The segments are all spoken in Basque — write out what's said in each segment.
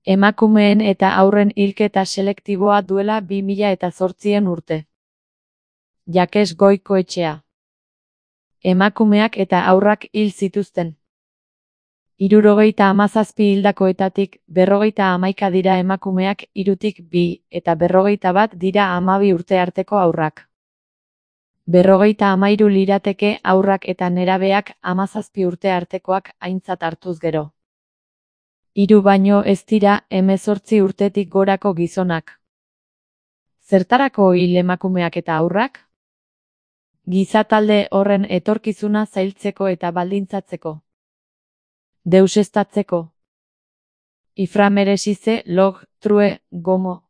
Emakumeen eta haurren hilketa selektiboa duela 2008 urte. Jakes Goikoetxea. Emakumeak eta haurrak hil zituzten. 77 hildakoetatik 51 dira emakumeak, 3tik 2 eta 51 dira 12 urte arteko haurrak. 53 lirateke haurrak eta nerabeak 17 urte artekoak aintzat hartuz gero. 3 baino ez dira 18 urtetik gorako gizonak. Zertarako hil emakumeak eta haurrak? Gizatalde horren etorkizuna zailtzeko eta baldintzatzeko. Deuseztatzeko. Iframeresize log true gomo.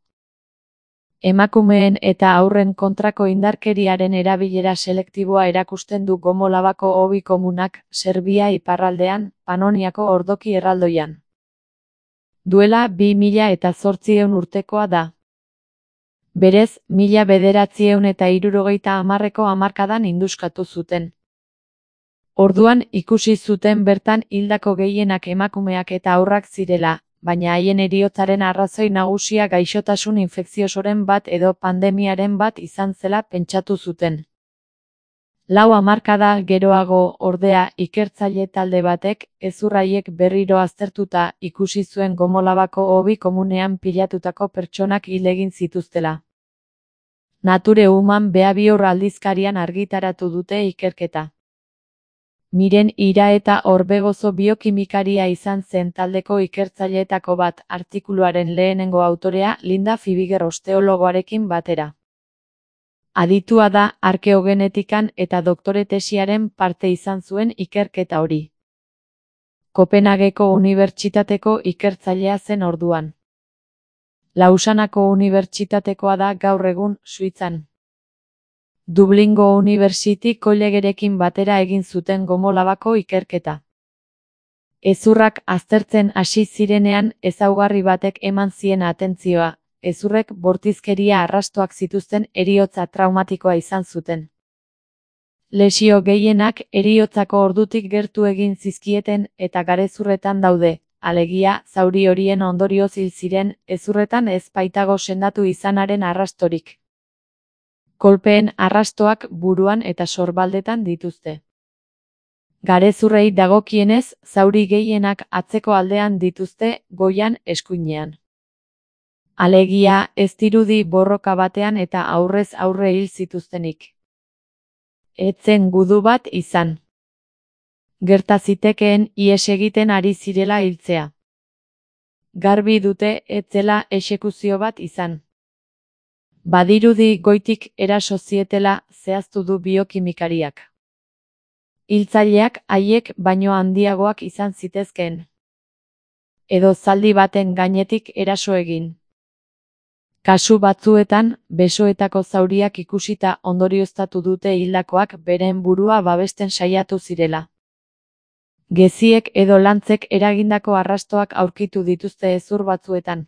Emakumeen eta haurren kontrako indarkeriaren erabilera selektiboa erakusten du Gomo Labako hobi komunak, Serbia iparraldean, Panoniako ordoki erraldoian. Duela 2008 urtekoa da. Berez, 1970ko hamarkadan induskatu zuten. Orduan ikusi zuten bertan hildako gehienak emakumeak eta haurrak zirela, baina haien heriotzaren arrazoi nagusia gaixotasun infekziosoren bat edo pandemiaren bat izan zela pentsatu zuten. 4 hamarkada geroago, ordea, ikertzaile talde batek, hezur haiek berriro aztertuta, ikusi zuen Gomo Labako hobi komunean pilatutako pertsonak hil egin zituztela. Nature Human Behavior aldizkarian argitaratu dute ikerketa. Miren Iraeta Orbegozo biokimikaria izan zen taldeko ikertzaileetako bat, artikuluaren lehenengo autorea Linda Fibiger osteologoarekin batera. Aditua da arkeogenetikan eta doktore tesiaren parte izan zuen ikerketa hori. Kopenhageko unibertsitateko ikertzailea zen orduan. Lausanako unibertsitatekoa da gaur egun, Suitzan. Dublingo University Collegerekin batera egin zuten Gomo Labako ikerketa. Hezurrak aztertzen hasi zirenean ezaugarri batek eman zien atentzioa, hezurrek bortizkeria arrastoak zituzten heriotza traumatikoa izan zuten. Lesio gehienak heriotzako ordutik gertu egin zizkieten eta garezurretan daude, alegia zauri horien ondorioz hil ziren, hezurretan ez baitago sendatu izanaren arrastorik. Kolpeen arrastoak buruan eta sorbaldetan dituzte. Garezurrei dagokienez, zauri gehienak atzeko aldean dituzte, goian, eskuinean. Alegia, ez dirudi borroka batean eta aurrez aurre hil zituztenik. Etzen gudu bat izan. Gerta zitekeen ihes egiten ari zirela hiltzea. Garbi dute ez zela exekuzio bat izan. Badirudi goitik eraso zietela zehaztu du biokimikariak. Hiltzaileak haiek baino handiagoak izan zitezkeen. Edo zaldi baten gainetik eraso egin. Kasu batzuetan, besoetako zauriak ikusita ondorioztatu dute hildakoak beren burua babesten saiatu zirela. Geziek edo lantzek eragindako arrastoak aurkitu dituzte hezur batzuetan.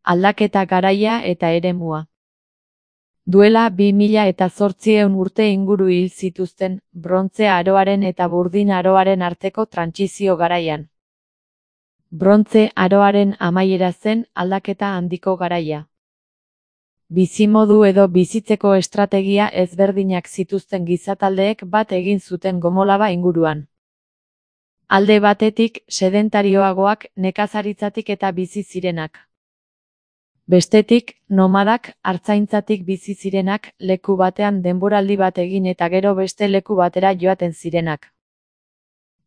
Aldaketa garaia eta eremua. Duela 2008 urte inguru hil zituzten, Brontze Aroaren eta Burdin Aroaren arteko trantsizio garaian. Brontze Aroaren amaiera zen aldaketa handiko garaia. Bizimodu edo bizitzeko estrategia ezberdinak zituzten gizataldeek bat egin zuten Gomo Laba inguruan. Alde batetik, sedentarioagoak, nekazaritzatik eta bizi zirenak. Bestetik, nomadak, artzaintzatik bizi zirenak, leku batean denboraldi bat egin eta gero beste leku batera joaten zirenak.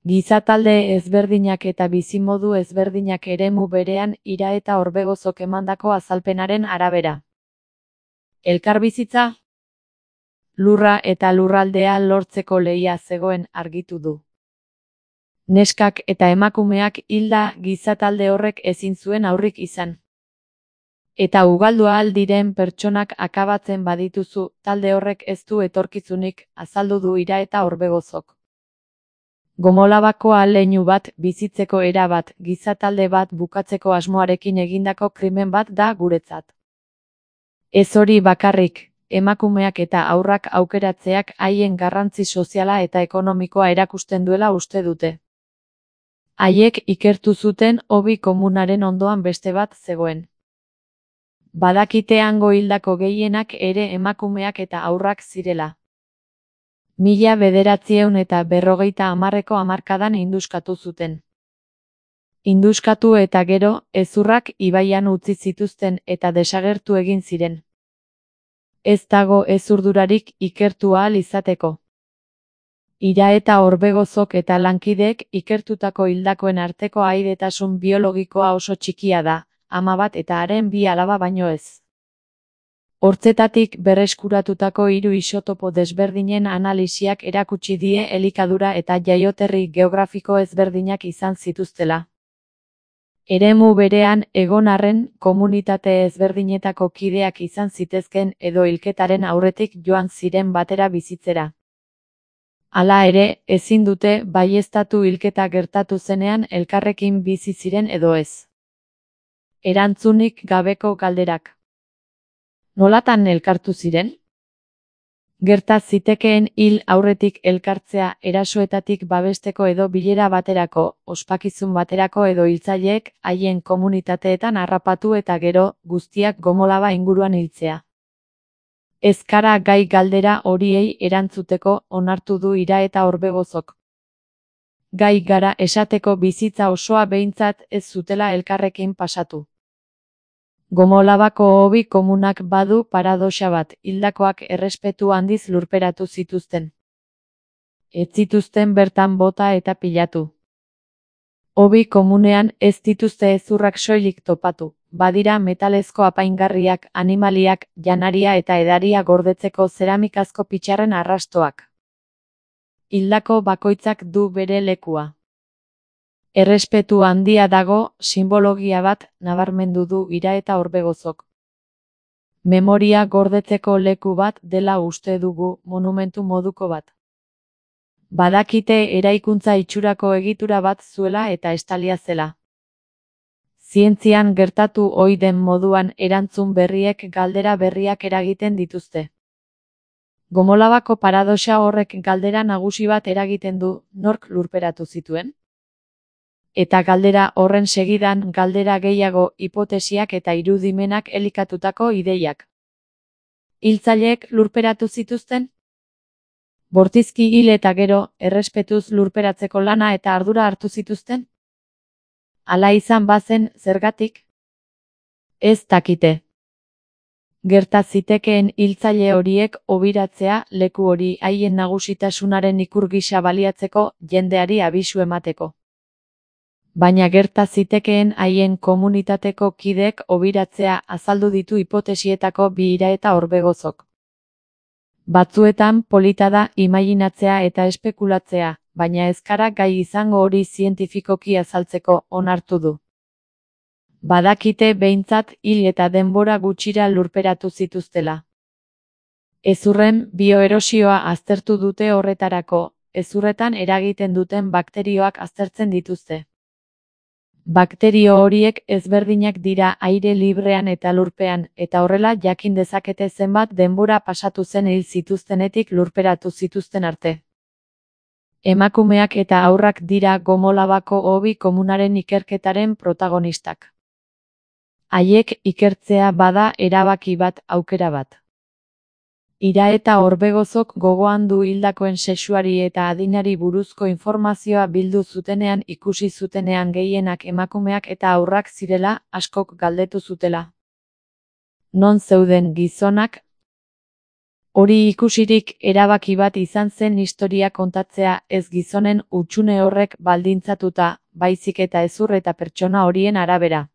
Gizatalde ezberdinak eta bizimodu ezberdinak eremu berean Iraeta Orbegozok emandako azalpenaren arabera. Elkarbizitza? Lurra eta lurraldea lortzeko lehia zegoen argitu du. Neskak eta emakumeak hilda gizatalde horrek ezin zuen aurrik izan. Eta ugaldu ahal diren pertsonak akabatzen badituzu, talde horrek ez du etorkizunik, azaldu du Iraeta Orbegozok. Gomo Labako ahaleinu bat, bizitzeko era bat, gizatalde bat bukatzeko asmoarekin egindako krimen bat da guretzat. Ez hori bakarrik, emakumeak eta haurrak aukeratzeak haien garrantzi soziala eta ekonomikoa erakusten duela uste dute. Haiek ikertu zuten hobi komunaren ondoan beste bat zegoen. Badakite hango hildako gehienak ere emakumeak eta haurrak zirela. 1950ko hamarkadan induskatu zuten. Induskatu eta gero, hezurrak ibaian utzi zituzten eta desagertu egin ziren. Ez dago hezurdurarik ikertu ahal izateko. Ira eta Orbegozok eta lankideek ikertutako hildakoen arteko ahaidetasun biologikoa oso txikia da, 11 eta haren 2 alaba baino ez. Hortzetatik berreskuratutako 3 isotopo desberdinen analisiak erakutsi die elikadura eta jaioterri geografiko ezberdinak izan zituztela. Eremu berean egon arren komunitate ezberdinetako kideak izan zitezken edo hilketaren aurretik joan ziren batera bizitzera. Hala ere, ezin dute baieztatu hilketa gertatu zenean elkarrekin bizi ziren edo ez. Erantzunik gabeko galderak. Nolatan elkartu ziren? Gerta zitekeen hil aurretik elkartzea erasoetatik babesteko edo bilera baterako, ospakizun baterako edo hiltzaileek haien komunitateetan harrapatu eta gero, guztiak Gomolaba inguruan hiltzea. Ez gara gai galdera horiei erantzuteko onartu du Ira eta Orbegozok. Gai gara esateko bizitza osoa behintzat ez zutela elkarrekin pasatu. Gomolabako hobi komunak badu paradoxa bat, hildakoak errespetu handiz lurperatu zituzten. Ez zituzten bertan bota eta pilatu. Hobi komunean ez dituzte hezurrak soilik topatu, badira metalezko apaingarriak, animaliak, janaria eta edaria gordetzeko zeramikazko pitxarren arrastoak. Hildako bakoitzak du bere lekua. Errespetu handia dago, simbologia bat, nabarmendu du Ira eta Orbegozok. Memoria gordetzeko leku bat dela uste dugu, monumentu moduko bat. Badakite eraikuntza itxurako egitura bat zuela eta estalia zela. Zientzian gertatu ohi den moduan erantzun berriek galdera berriak eragiten dituzte. Gomolabako paradoxa horrek galdera nagusi bat eragiten du, nork lurperatu zituen? Eta galdera horren segidan galdera gehiago hipotesiak eta irudimenak elikatutako ideiak. Hiltzaileek lurperatu zituzten? Bortizki hil eta gero, errespetuz lurperatzeko lana eta ardura hartu zituzten? Hala izan bazen, zergatik? Ez dakite. Gerta zitekeen hiltzaile horiek hobiratzea leku hori haien nagusitasunaren ikur gisa baliatzeko jendeari abisu emateko. Baina gerta zitekeen haien komunitateko kideek hobiratzea azaldu ditu hipotesietako bi Ira eta Orbegozok. Batzuetan polita da imaginatzea eta espekulatzea, baina ez gara gai izango hori zientifikoki azaltzeko onartu du. Badakite behintzat hil eta denbora gutxira lurperatu zituztela. Hezurren bioerosioa aztertu dute horretarako, hezurretan eragiten duten bakterioak aztertzen dituzte. Bakterio horiek ezberdinak dira aire librean eta lurpean, eta horrela jakin dezakete zenbat denbora pasatu zen hil zituztenetik lurperatu zituzten arte. Emakumeak eta haurrak dira Gomolabako hobi komunaren ikerketaren protagonistak. Haiek ikertzea bada erabaki bat, aukera bat. Ira eta Orbegozok gogoan du hildakoen sexuari eta adinari buruzko informazioa bildu zutenean ikusi zutenean gehienak emakumeak eta haurrak zirela, askok galdetu zutela. Non zeuden gizonak? Hori ikusirik erabaki bat izan zen historia kontatzea ez gizonen hutsune horrek baldintzatuta, baizik eta hezur eta pertsona horien arabera.